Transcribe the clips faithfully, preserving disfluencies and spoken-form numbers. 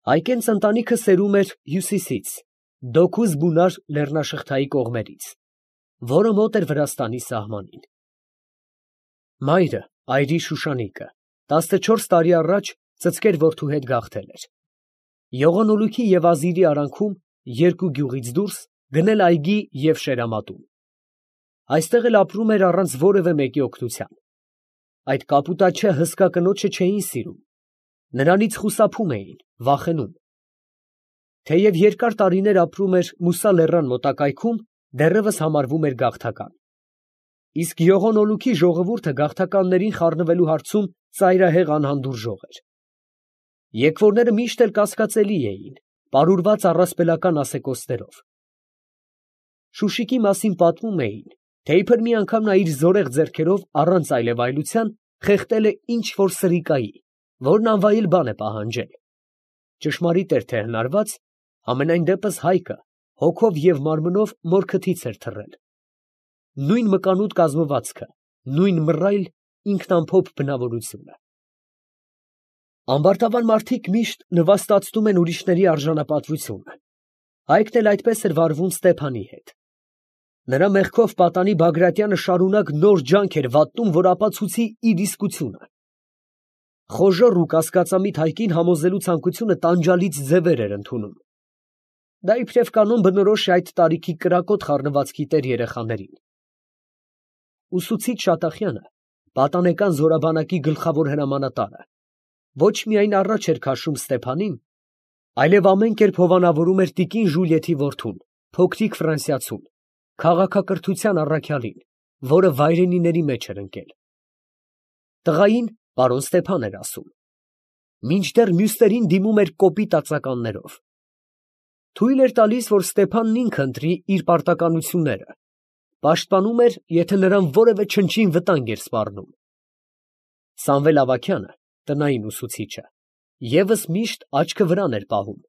Այկենց ընտանիքը սերում էր հյուսիսից, Դոկուզ բունար լեռնաշղթայի կողմերից, որը մոտ էր Վրաստանի սահմանին։ Մայրը, այրի Շուշանիկը, տասնչորս տարի առաջ ծծկեր որդու հետ գաղթել էր։ Յողոնոլուքի և Ազիրի արանքում, երկու գյուղից դուրս, գնել այգի և շերամատում։ Այստեղ էլ ապրում էր առանց որևէ մեկի օգնության։ Այդ կապուտաչե հսկա կնոջը չէին սիրում, նրանից խուսափում էին, վախենում։ Թեև երկար տարիներ ապրում էր Մուսա լեռան մոտակայքում, դեռևս համարվում էր գաղթական։ Իսկ Յողոնոլուքի ժողովուրդը գաղթականներին խառնվելու հարցում ծայրահեղ անհանդուրժող էր։ Եկվորները միշտ էլ կասկածելի էին, պարուրված առասպելական ասեկոսներով։ Շուշիկի մասին պատմում էին, թե իբր մի անգամ նա իր զորեղ ձեռքերով առանց այլևայլության խեղդել է ինչ որ սրիկայի, որն անվայել բան է պահանջել։ Ճշմարիտ էր թե հնարված, համենայն դեպս Հայկը հոգով և մարմնով մոր քթից էր թռել։ Նույն մկանուտ կազմվածքը, նույն մռայլ ինքնամփոփ բնավորությունը։ Ամբարտավան մարդիկ միշտ նվաստացնում են ուրիշների արժանապատվությունը։ Հայկն էլ այդպես էր վարվում Ստեփանի հետ։ Նրա մեղքով պատանի Բագրատյանը շարունակ նոր ջանք էր վատնում, որ ապացուցի իր իսկությունը։ Խոժոռ ու կասկածամիտ Հայկին համոզելու ցանկությունը տանջալից ձևեր էր ընդունում։ Դա իբրև կանոն բնորոշ է այդ տարիքի կրակոտ խառնվածքի տեր երեխաներին։ Ուսուցիչ Շատախյանը, պատանեկան զորաբանակի գլխավոր հրամանատարը, ոչ միայն առաջ էր քաշում Ստեփանին, այլև ամեն կերպ հովանավորում էր տիկին Ժուլիեթի որդուն, փոքրիկ ֆրանսիացուն, քաղաքակրթության առաքյալին, որը վայրենիների մեջ էր ընկել։ Տղային պարոն Ստեփան էր ասում, մինչդեռ մյուսներին դիմում էր կոպիտ ածականներով։ Թույլ էր տալիս, որ Ստեփանն ինքը ընտրի իր պարտականությունները, պաշտպանում էր, եթե նրան որևէ չնչին վտանգ էր սպառնում։ Սամվել Ավագյանը, տնային ուսուցիչը, ևս միշտ աչքը վրան էր պահում,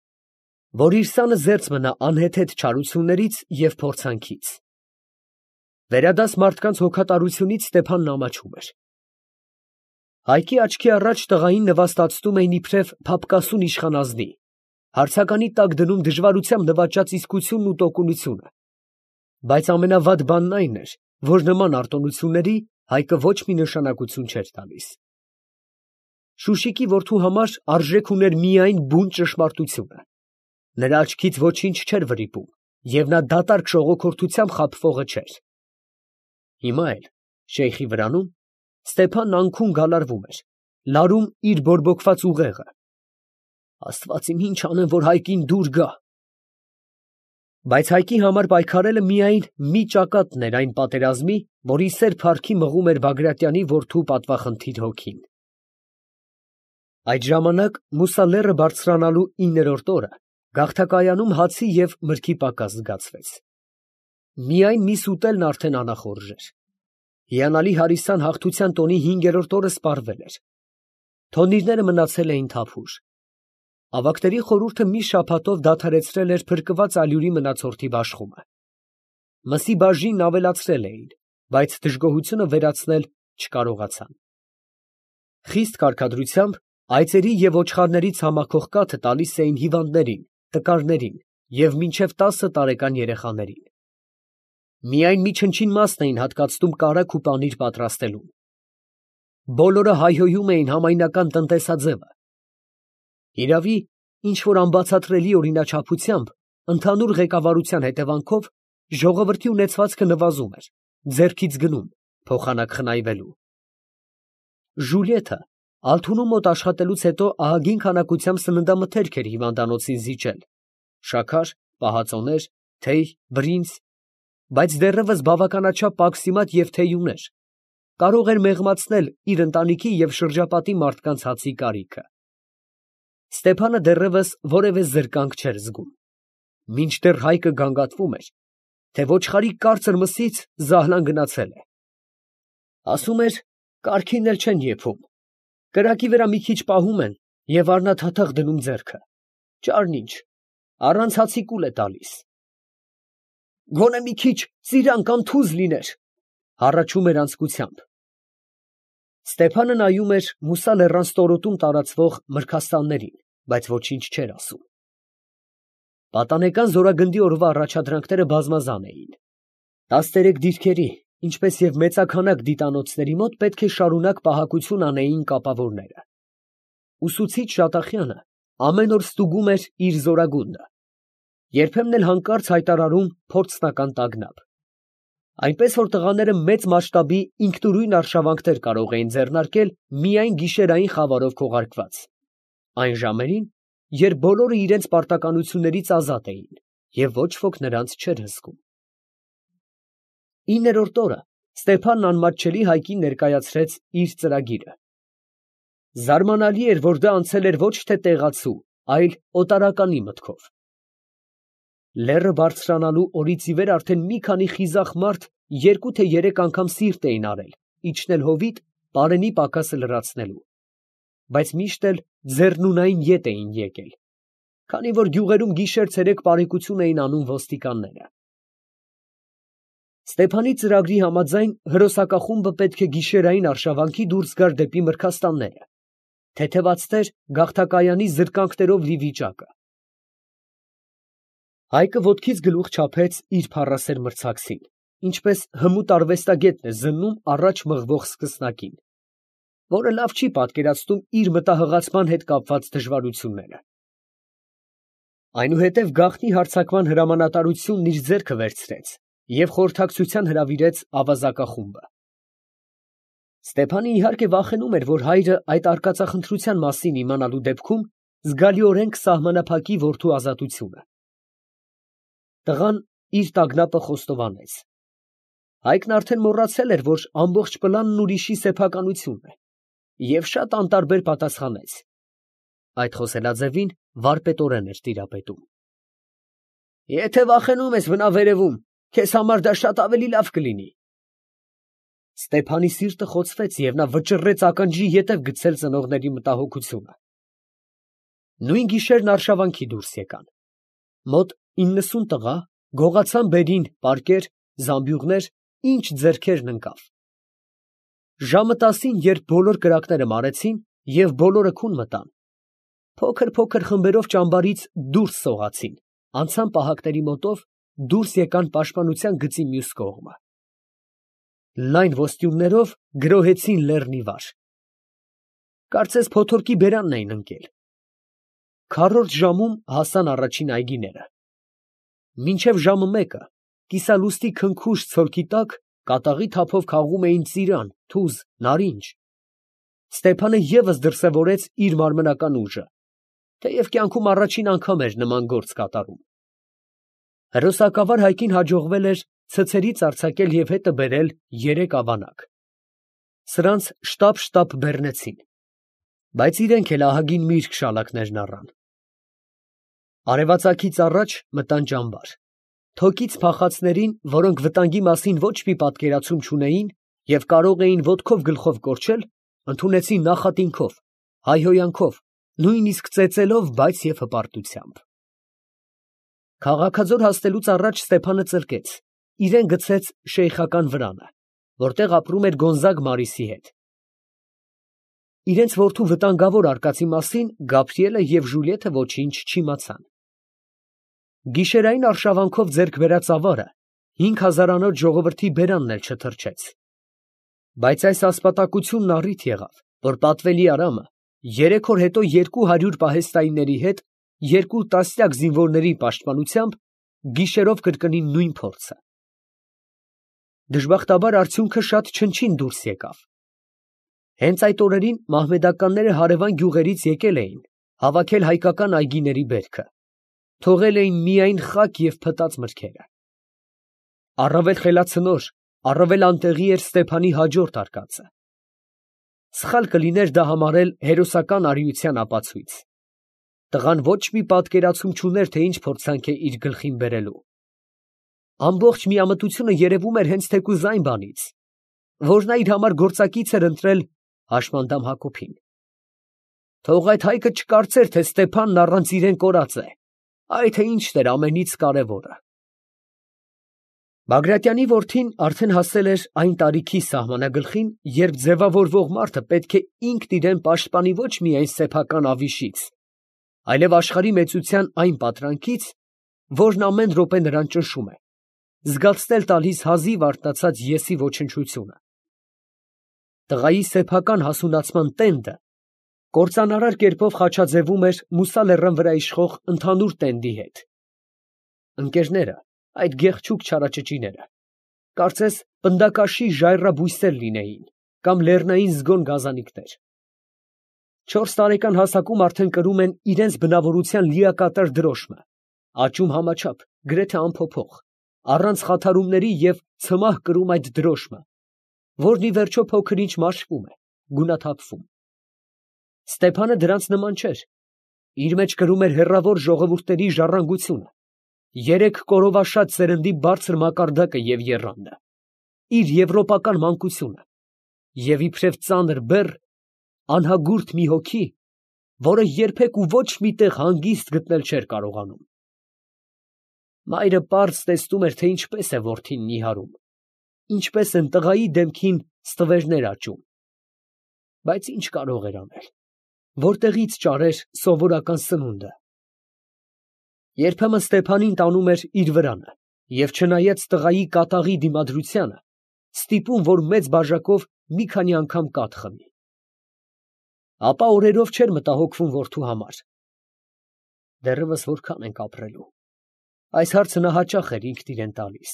որ իր սանը զերծ մնա անհեթեթ չարություններից և փորձանքից։ Վերադաս մարդկանց հոգատարությունից Ստեփանն ամաչում էր։ Հայկի աչքի առաջ տղային նվաստացնում էին իբրև փափկասուն իշխանազնի, հարցականի տակ դնում դժվարությամբ նվաճած իսկությունն ու տոկունությունը։ Բայց ամենավատ բանն այն էր, որ նման արտոնությունների Հայկը ոչ մի նշանակություն չէր տալիս։ Շուշիկի որդու համար արժեք ուներ միայն բուն ճշմարտությունը։ Նրա աչքից ոչինչ չէր վրիպում, և նա դատարկ շողոքորթությամբ խաբվողը չէր։ Հիմա էլ, շեյխի վրանում, Ստեփանն անքուն գալարվում էր, լարում իր բորբոքված ուղեղը։ Աստված իմ, ինչ անեմ, որ Հայկին դուր գա։ Բայց Հայկի համար պայքարելը միայն մի ճակատն էր այն պատերազմի, որի սեր փառքի մղում էր Բագրատյանի որդու պատվախնդիր հոգին։ Այդ ժամանակ Մուսա լեռը բարձրանալու իններորդ օրը գաղթակայանում հացի և մրգի պակաս զգացվեց։ Միայն միս ուտելն արդեն անախորժ էր։ Հիանալի հարիսան հաղթության տոնի հինգերորդ օրը սպառվել էր։ Թոնիրները մնացել էին թափուր։ Ավագների խորհուրդը մի շաբաթով դադարեցրել էր փրկված ալյուրի մնացորդի բաշխումը։ Մսի բաժինն ավելացրել էին, բայց դժգոհությունը վերացնել չկարողացան։ Խիստ կարգադրությամբ այծերի և ոչխարների ցամաքող կաթը տալիս էին հիվանդներին, տկարներին և մինչև տասը տարեկան երեխաներին։ Միայն մի չնչին մասն էին հատկացնում կարագ ու պանիր պատրաստելուն։ Բոլորը հայհոյում էին համայնական տնտեսաձևը։ Հիրավի, ինչ֊որ անբացատրելի օրինաչափությամբ, ընդհանուր ղեկավարության հետևանքով ժողովրդի ունեցվածքը նվազում էր, ձեռքից գնում, փոխանակ խնայվելու։ Ժուլիեթը Ալթունու մոտ աշխատելուց հետո ահագին քանակությամբ սննդամթերք էր հիվանդանոցին զիջել, շաքար, պահածոներ, թեյ, բրինձ, բայց դեռևս բավականաչափ պաքսիմատ և թեյ ուներ, կարող էր մեղմացնել իր ընտանիքի և շրջապատի մարդկանց հացի կարիքը։ Ստեփանը դեռևս որևէ զրկանք չէր զգում, մինչդեռ Հայկը գանգատվում էր, թե ոչխարի կարծր մսից զահլան գնացել է։ Ասում էր, կառքին էլ չեն եփում, կրակի վրա մի քիչ պահում են և առնաթաթախ դնում ձեռքը, ճարն ինչ, առանց հացի կուլ է տալիս։ Գոնե մի քիչ ծիրան կամ թուզ լիներ, հառաչում էր անձկությամբ։ Ստեփանը նայում էր Մուսա լեռան ստորոտում տարածվող մրգաստաններին բայց ոչինչ չէր ասում։ Պատանեկան զորագնդի օրվա առաջադրանքները բազմազան էին։ Տասներեք դիրքերի, ինչպես և մեծաքանակ դիտանոցների մոտ պետք է շարունակ պահակություն անեին կապավորները։ Ուսուցիչ Շատախյանը ամեն օր ստուգում էր իր զորագունդը, երբեմն էլ հանկարծ հայտարարում փորձնական տագնապ։ Այնպես որ տղաները մեծ մասշտաբի ինքնուրույն արշավանքներ կարող էին ձեռնարկել միայն գիշերային խավարով քողարկված, այն ժամերին, երբ բոլորը իրենց պարտականություններից ազատ էին և ոչ ոք նրանց չէր հսկում։ Իններորդ օրը Ստեփանն անմատչելի Հայկին ներկայացրեց իր ծրագիրը։ Զարմանալի էր, որ դա անցել էր ոչ թե տեղացու, այլ օտարականի մտքով։ Լեռը բարձրանալու օրից ի վեր արդեն մի քանի խիզախ մարդ երկու թե երեք անգամ սիրտ էին արել իջնել հովիտ պարենի պակասը լրացնելու, բայց միշտ էլ ձեռնունայն ետ էին եկել, քանի որ գյուղերում գիշեր֊ցերեկ պարեկություն էին անում ոստիկանները։ Ստեփանի ծրագրի համաձայն հրոսակախումբը պետք է գիշերային արշավանքի դուրս գար դեպի Մրգաստանները, թեթևացներ գաղթակայանի զրկանքներով լի վիճակը։ Հայկը ոտքից գլուխ չափեց իր փառասեր մրցակցին, ինչպես հմուտ արվեստագետն է զննում առաջ մղվող սկսնակին, որը լավ չի պատկերացնում իր մտահղացման հետ կապված դժվարությունները։ Այնուհետև գաղտնի հարձակման հրամանատարությունն իր ձեռքը վերցրեց և խորհրդակցության հրավիրեց ավազակախումբը։ Ստեփանը իհարկե վախենում էր, որ հայրը այդ արկածախնդրության մասին իմանալու դեպքում զգալիորեն կսահմանափակի որդու ազատությունը։ Տղան իր տագնապը խոստովանեց։ Հայկն արդեն մոռացել էր, որ ամբողջ պլանն ուրիշի սեփականությունն է, և շատ անտարբեր պատասխանեց։ Այդ խոսելաձևին վարպետորեն էր տիրապետում։ Եթե վախենում ես մնա վերևում, քեզ համար դա շատ ավելի լավ կլինի։ Ստեփանի սիրտը խոցվեց, և նա վճռեց ականջի ետև գցել ծնողների մտահոգությունը։ Նույն գիշերն արշավանքի դուրս եկան։ Մոտ իննսուն տղա գողացան բերին պարկեր, զամբյուղներ, ինչ ձեռքերն ընկավ։ Ժամը տասին, երբ բոլոր կրակները մարեցին և բոլորը քուն մտան, փոքր֊փոքր խմբերով ճամբարից դուրս սողացին, անցան պահակների մոտով, դուրս եկան պաշտպանության գծի մյուս կողմը։ Լայն ոստյուններով գրոհեցին լեռն ի վար։ Կարծես փոթորկի բերանն էին ընկել։ Քառորդ ժամում հասան առաջին այգիները։ Մինչև ժամը մեկը կիսալուստի քնքուշ ցոլքի տակ կատաղի թափով քաղում էին ծիրան, թուզ, նարինջ։ Ստեփանը ևս դրսևորեց իր մարմնական ուժը, թեև կյանքում առաջին անգամ էր նման գործ կատարում։ Հրոսակավար Հայկին հաջողվել էր ցցերից արձակել և հետը բերել երեք ավանակ։ Սրանց շտապ֊շտապ բեռնեցին, բայց իրենք էլ ահագին միրգ շալակներն առան։ Արևածագից առաջ մտան ճամբար։ Թոկից փախածներին, որոնք վտանգի մասին ոչ մի պատկերացում չունեին և կարող էին ոտքով գլխով կորչել, ընդունեցին նախատինքով, հայհոյանքով, նույնիսկ ծեծելով, բայց և հպարտությամբ։ Քաղաքաձոր հասնելուց առաջ Ստեփանը ծլկեց, իրեն գցեց շեյխական վրանը, որտեղ ապրում էր Գոնզագ Մարիսի հետ։ Իրենց որդու վտանգավոր արկածի մասին Գաբրիելը և Ժուլիետը ոչինչ չիմացան։ Գիշերային արշավանքով ձեռք բերած ավարը հինգ հազարանոց ժողովրդի բերանն էլ չթրջեց։ Բայց այս ասպատակությունն առիթ եղավ, որ պատվելի Արամը երեք օր հետո երկու հարյուր պահեստայինների հետ երկու տասնյակ զինվորների պաշտպանությամբ գիշերով կրկնի նույն փորձը։ Դժբախտաբար արդյունքը շատ չնչին դուրս եկավ։ Հենց այդ օրերին մահմեդականները հարևան գյուղերից եկել էին, հավաքել հայկական այգիների բերքը, թողել էին միայն խաք և փտած մրգերը։ Առավել խելացնոր, առավել անտեղի էր Ստեփանի հաջորդ արկածը։ Սխալ կլիներ դա համարել հերոսական արիության ապացույց։ Տղան ոչ մի պատկերացում չուներ, թե ինչ փորձանք է իր գլխին բերելու։ Ամբողջ միամտությունը երևում էր հենց թեկուզ այն բանից, որ նա իր համար գործակից էր ընտրել Հաշմանդամ Հակոբին։ Թող այդ հայկը չկարծեր, թե Ստեփանն առանց իրեն կորած է, այ թե ինչն էր ամենից կարևորը։ Բագրատյանի որդին արդեն հասել էր այն տարիքի սահմանագլխին, երբ ձևավորվող մարդը պետք է ինքն իրան պաշտպանի ոչ միայն սեփական ավիշից, այլև աշխարհի մեծության այն պատրանքից, որն ամեն րոպե նրան ճնշում է, զգացնել տալիս հազիվ արթնացած եսի ոչնչությունը։ Տղայի սեփական հասունացման տենդը կործանարար կերպով խաչաձևում էր Մուսա լեռան վրա իշխող ընդհանուր տենդի հետ։ Ընկերները, այդ գեղեցիկ չարաճճիները, կարծես պնդակաշի ժայռաբույսեր լինեին կամ լեռնային զգոն գազանիկներ։ Չորս տարեկան հասակում արդեն կրում են իրենց բնավորության լիակատար դրոշմը, աճում համաչափ, գրեթե անփոփոխ, առանց խաթարումների և ցմահ կրում այդ դրոշմը, որն ի վերջո փոքր-ինչ մաշվում է, գունաթափվում։ Ստեփանը դրանց նման չէր, իր մեջ կրում էր հեռավոր ժողովուրդների ժառանգությունը, երեք կորովաշատ սերնդի բարձր մակարդակը և եռանդը, իր եվրոպական մանկությունը և իբրև ծանր բեռ, անհագուրդ մի հոգի, որը երբեք ու ոչ մի տեղ հանգիստ գտնել չէր կարողանում։ Մայրը պարզ տեսնում էր, թե ինչպես է որդին նիհարում, ինչպես են տղայի դեմքին ստվերներ աճում, բայց ինչ կարող էր անել, որտեղից ճարեր սովորական սնունդը։ Երբեմն Ստեփանին տանում էր իր վրանը և չնայած տղայի կատաղի դիմադրությանը, ստիպում, որ մեծ բաժակով մի քանի անգամ կաթ խմի։ Ապա օրերով չէր մտահոգվում որդու համար։ Դեռևս որքան ենք ապրելու։ Այս հարցը նա հաճախ էր ինքն իրան տալիս,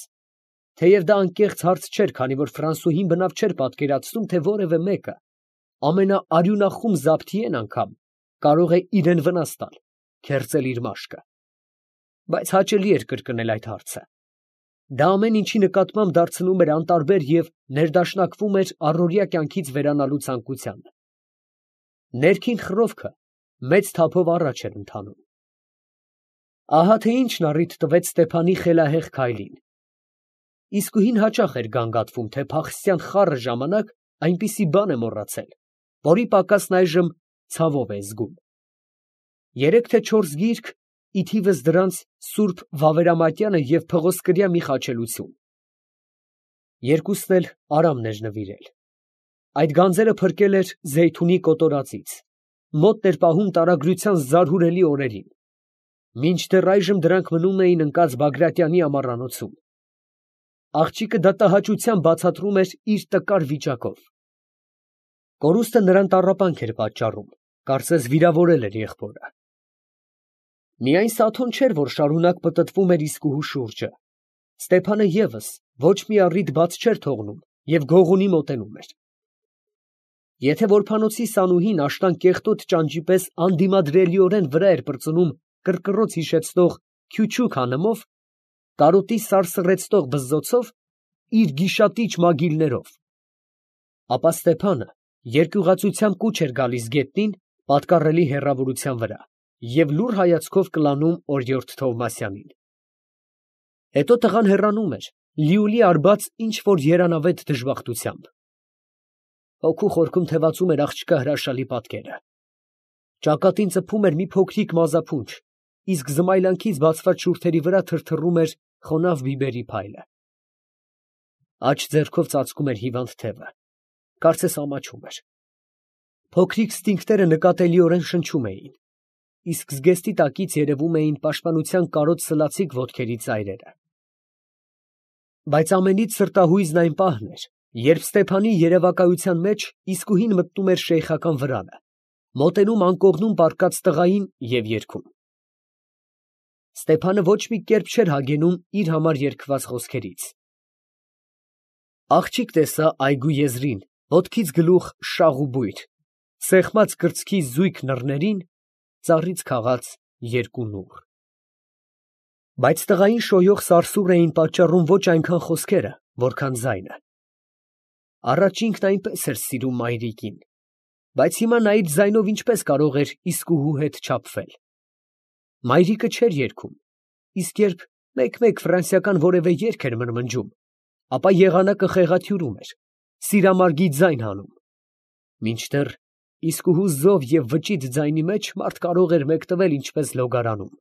թեև դա անկեղծ հարց չէր, քանի որ Ֆրանսուհին բնավ չէր պատկերացնում, թե որևէ մեկը, ամենաարյունախում Զաբթիեն անգամ, կարող է իրան վնաս տալ, քերծել իր մաշկը։ Բայց հաճելի էր կրկնել այդ հարցը։ Դա ամեն ինչի նկատմամբ դարձնում էր անտարբեր և ներդաշնակվում էր առօրյա կյանքից վերանալու ցանկությանը։ Ներքին խռովքը մեծ թափով առաջ էր ընթանում։ Ահա թե ինչն առիթ տվեց Ստեփանի խելահեղ քայլին։ Իսկույն հաճախ էր գանգատվում, թե փախստյան խառը ժամանակ այնպիսի բան է մոռացել, որի պակասն այժմ ցավով է զգում։ Երեք թե չորս գիրք, ի թիվս դրանց սուրբ Վավերամատյանը և փղոսկրյա մի խաչելություն։ Երկուսն էլ Արամն էր նվիրել։ Այդ գանձերը փրկել էր Զեյթունի կոտորածից, մոտ էր պահում տարագրության զարհուրելի օրերին, մինչդեռ այժմ դրանք մնում էին ընկած Բագրատյանի ամառանոցում։ Աղջիկը դատահաճությամբ բացատրում էր իր տկար վիճակով։ Կորուստը նրան տառապանք էր պատճառում, կարծես վիրավորել էր եղբորը։ Միայն Սաթոն չէր, որ շարունակ պտտվում էր իսկուհու շուրջը։ Ստեփանը ևս ոչ մի առիթ բաց չէր թողնում և գողունի մոտենում էր։ Եթե որբանոցի Սանուհին աշնան կեղտոտ ճանճի պես անդիմադրելիորեն վրա էր պրծնում կռկռոց հիշեցնող քյուչուք անεμով, կարոտի սարսռեցնող բզզոցով, իր գիշատիչ մագիլներով, ապա Ստեփանը երկյուղածությամբ կուչ էր գալիս գետնին, պատկառելի հեռավորության վրա, և լուռ հայացքով կլանում օրիորդ Թովմասյանին։ Հետո տղան հեռանում էր, լիուլի արբած ինչ֊որ երանավետ դժբախտությամբ։ Հոգու խորքում թևածում էր աղջկա հրաշալի պատկերը։ Ճակատին ծփում էր մի փոքրիկ մազափունչ, իսկ զմայլանքից բացված շուրթերի վրա թրթռում էր խոնավ բիբերի փայլը։ Աջ ձեռքով ծածկում էր հիվանդ թևը, կարծես ամաչում էր։ Փոքրիկ ստինգները նկատելիորեն շնչում էին, իսկ զգեստի տակից երևում էին պաշտպանության կարոտ սլացիկ ոտքերի ծայրերը։ Բայց ամենից սրտահույզն այն պահն էր, երբ Ստեփանի երևակայության մեջ իսկույն մտնում էր շեյխական վրանը, մոտենում անկողնում պառկած տղային և երգում։ Ստեփանը ոչ մի կերպ չէր հագենում իր համար երգված խոսքերից։ Աղջիկ տեսա այգու եզրին, ոտքից գլուխ շաղ ու բույր, սեղմած կրծքի զույգ նռներին, ծառից քաղած երկու նուռ։ Բայց տղային շոյող սարսուռ էին պատճառում ոչ այնքան խոսքերը, որքան ձայնը։ Առաջ ինքն այնպես էր սիրում մայրիկին, բայց հիմա նա իր ձայնով ինչպես կարող էր իսկուհու հետ չափվել։ Մայրիկը չէր երգում, իսկ երբ մեկ֊մեկ ֆրանսիական որևէ երգ էր մրմնջում, ապա եղանակը խեղաթյուրում էր, սիրամարգի ձայն հանում, մինչդեռ իսկուհու զով և վճիտ ձայնի մեջ մարդ կարող էր մեկտվել ինչպես լոգարանում։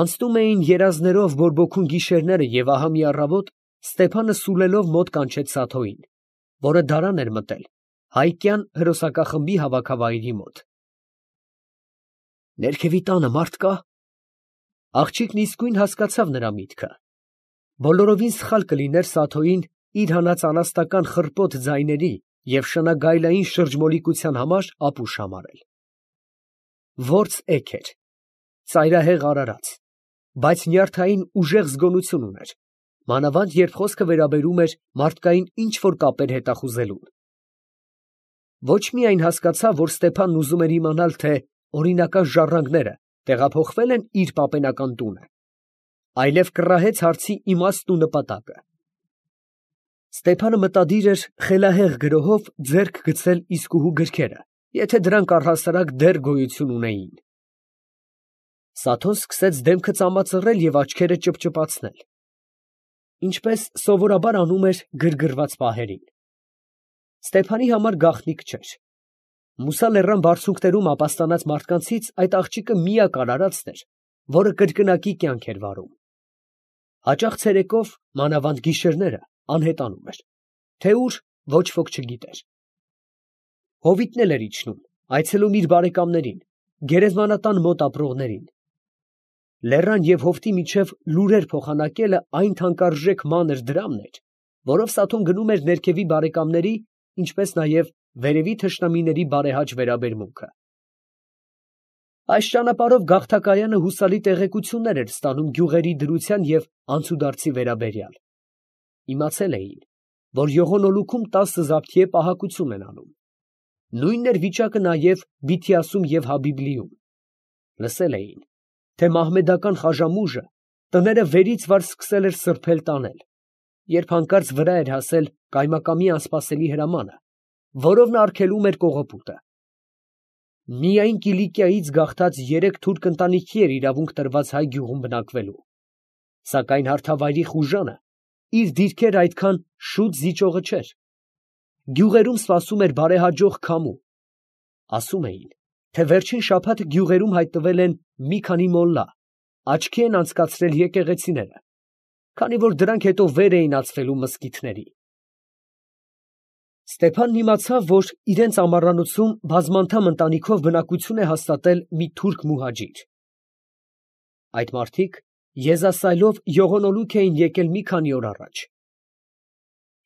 Անցնում էին երազներով բորբոքուն գիշերները, և ահա մի առավոտ Ստեփանը սուլելով մոտ կանչեց Սաթոյին, որը դարան էր մտել հայկյան հրոսակախմբի հավաքավայրի մոտ։ Ներքևի տանը մարդ կա։ Աղջիկն իսկույն հասկացավ նրա միտքը։ Բոլորովին սխալ կլիներ Սաթոյին իր հանած անաստական խռպոտ ձայների և շնագայլային շրջմոլիկության համար ապուշ համարել։ Որց էգ էր, ծայրահեղ արարած, բայց նյարդային ուժեղ զգոնություն ուներ, մանավանդ երբ խոսքը վերաբերում էր մարդկային ինչ֊որ կապեր հետախուզելուն։ Ոչ միայն հասկացավ, որ Ստեփանն ուզում էր իմանալ, թե օրինական ժառանգները տեղափոխվե՞լ են իր պապենական տունը, այլև կռահեց հարցի իմաստն ու նպատակը։ Ստեփանը մտադիր էր խելահեղ գրոհով ձեռք գցել իսկուհու գրքերը, եթե դրանք առհասարակ դեռ գոյություն ունեին։ Սաթոն սկսեց դեմքը ծամածռել և աչքերը ճպճպացնել, ինչպես սովորաբար անում էր գրգռված պահերին։ Ստեփանի համար գաղտնիք չէր. Մուսա լեռան բարձունքներում ապաստանած մարդկանցից այդ աղջիկը միակ արարածն էր, որը կրկնակի կյանք էր վարում։ Հաճախ ցերեկով, մանավանդ գիշերները, անհետանում էր, թե ուր ոչ ոք չգիտեր։ Հովիտն էլ էր իջնում, այցելում իր բարեկամներին, գերեզմանատան մոտ ապրողներին։ Լեռան և հովտի միջև լուրեր փոխանակելը այն թանկարժեք մանր դրամն էր, որով Սաթոն գնում էր ներքևի բարեկամների, ինչպես նաև վերևի թշնամիների բարեհաճ վերաբերմունքը։ Այս ճանապարհով գաղթակայանը հուսալի տեղեկություններ էր ստանում գյուղերի դրության և անցուդարձի վերաբերյալ։ Իմացել էին, որ Յողոնոլուքում տասը զաբթիե պահակություն են անում։ Նույնն էր վիճակը նաև Բիթիասում և Հաբիբլիում։ Լսել էին, թե մահմեդական խաժամուժը տները վերից վար սկսել էր սրբել տանել, երբ հանկարծ վրա էր հասել կայմակամի անսպասելի հրամանը, որով նա արգելում էր կողոպուտը։ Միայն Կիլիկիայից գաղթած երեք թուրք ընտանիքի էր իրավունք տրված հայ գյուղում բնակվելու, սակայն հարթավայրի խուժանը իր դիրքերը այդքան շուտ զիջողը չէր։ Գյուղերում սպասում էր բարեհաջող քամու։ Ասում էին, թե վերջին շաբաթ գյուղերում հայտնվել են մի քանի մոլլա, աչքի են անցկացրել եկեղեցիները, քանի որ դրանք հետո վեր էին ածվելու մզկիթների։ Ստեփանն իմացավ, որ իրենց ամառանոցում բազմանդամ ընտանիքով բնակություն է հաստատել մի թուրք մուհաջիր։ Այդ մարդիկ եզասայլով Յողոնոլուք էին եկել մի քանի օր առաջ։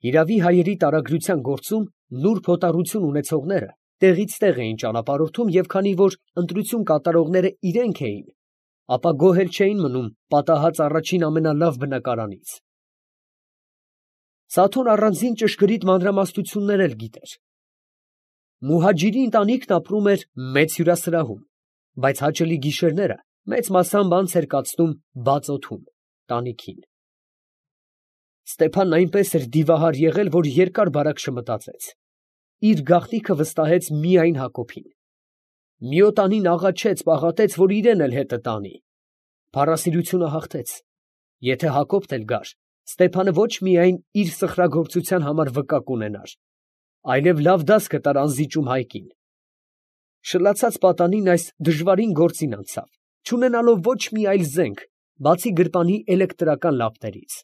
Հիրավի հայերի տարագրության գործում նուրբ հոտառություն ունեցողները տեղից տեղ էին ճանապարհորդում, և քանի որ ընտրություն կատարողները իրենք էին, ապա գոհ չէին մնում պատահած առաջին ամենալավ բնակարանից։ Սաթոն առանձին ճշգրիտ մանրամասնություններ էլ գիտեր։ Մուհաջիրի ընտանիքն ապրում էր մեծ հյուրասրահում, բայց հաճելի գիշերները մեծ մասամբ անց էր կացնում բաց օդում, տանիքին։ Ստեփանն այնպես էր դիվահար եղել, որ երկար բարակ չմտածեց։ Իր գաղտնիքը վստահեց միայն Հակոբին։ Մի օտանին աղաչեց, պաղատեց, որ իրեն էլ հետը տանի։ Փառասիրությունը հաղթեց։ Եթե Հակոբն էլ գար, Ստեփանը ոչ միայն իր սխրագործության համար վկա կունենար, այլև լավ դաս կտար անզիջում հայկին։ Շլացած պատանին այս դժվարին գործին անցավ, չունենալով ոչ մի այլ զենք, բացի գրպանի էլեկտրական լապտերից։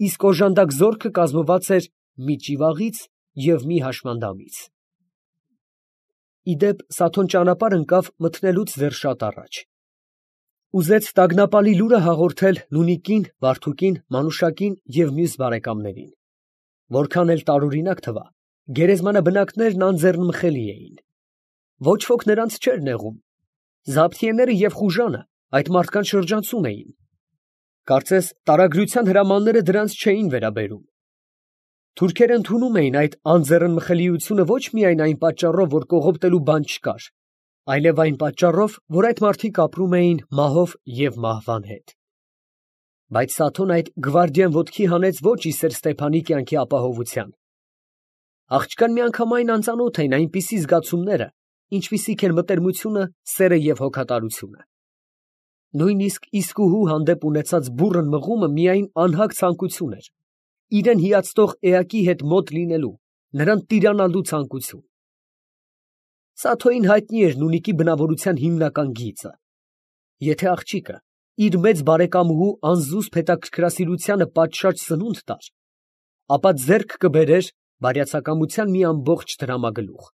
Իսկ օժանդակ զորքը կազմված էր մի ճիվաղից և մի հաշմանդամից։ Ի դեպ, Սաթոն ճանապարհ ընկավ մթնելուց դեռ շատ առաջ։ Ուզեց տագնապալի լուրը հաղորդել Նունիկին, Վարդուկին, Մանուշակին և մյուս բարեկամներին։ Որքան էլ տարօրինակ թվա, գերեզմանաբնակներն անձեռնմխելի էին։ Ոչ ոք նրանց չէր նեղում։ Զաբթիեները և խուժանը այդ մարդկանց շրջանցում էին։ Կարծես տարագրության հրամանները դրանց չէին վերաբերում։ Թուրքերը ընդունում էին այդ անձեռնմխելիությունը ոչ միայն այն պատճառով, որ կողոպտելու բան չկար, այլև այն պատճառով, որ այդ մարդիկ ապրում էին մահով և մահվան հետ։ Բայց Սաթոն այդ գվարդիան ոտքի հանեց ոչ իսեր Ստեփանի կյանքի ապահովության։ Աղջկան միանգամայն անծանոթ էին այնպիսի զգացումները, ինչպիսիք են մտերմությունը, սերը և հոգատարությունը։ Նույնիսկ իսկուհու հանդեպ ունեցած բուռն մղումը միայն անհագ ցանկություն էր, իրան հիացնող էակի հետ մոտ լինելու, նրան տիրանալու ցանկություն։ Սաթոյին հայտնի էր Նունիկի բնավորության հիմնական գիծը։ Եթե աղջիկը իր մեծ բարեկամուհու անզուսպ հետաքրքրասիրությանը պատշաճ սնունդ տար, ապա ձեռք կբերեր բարյացակամության մի ամբողջ դրամագլուխ։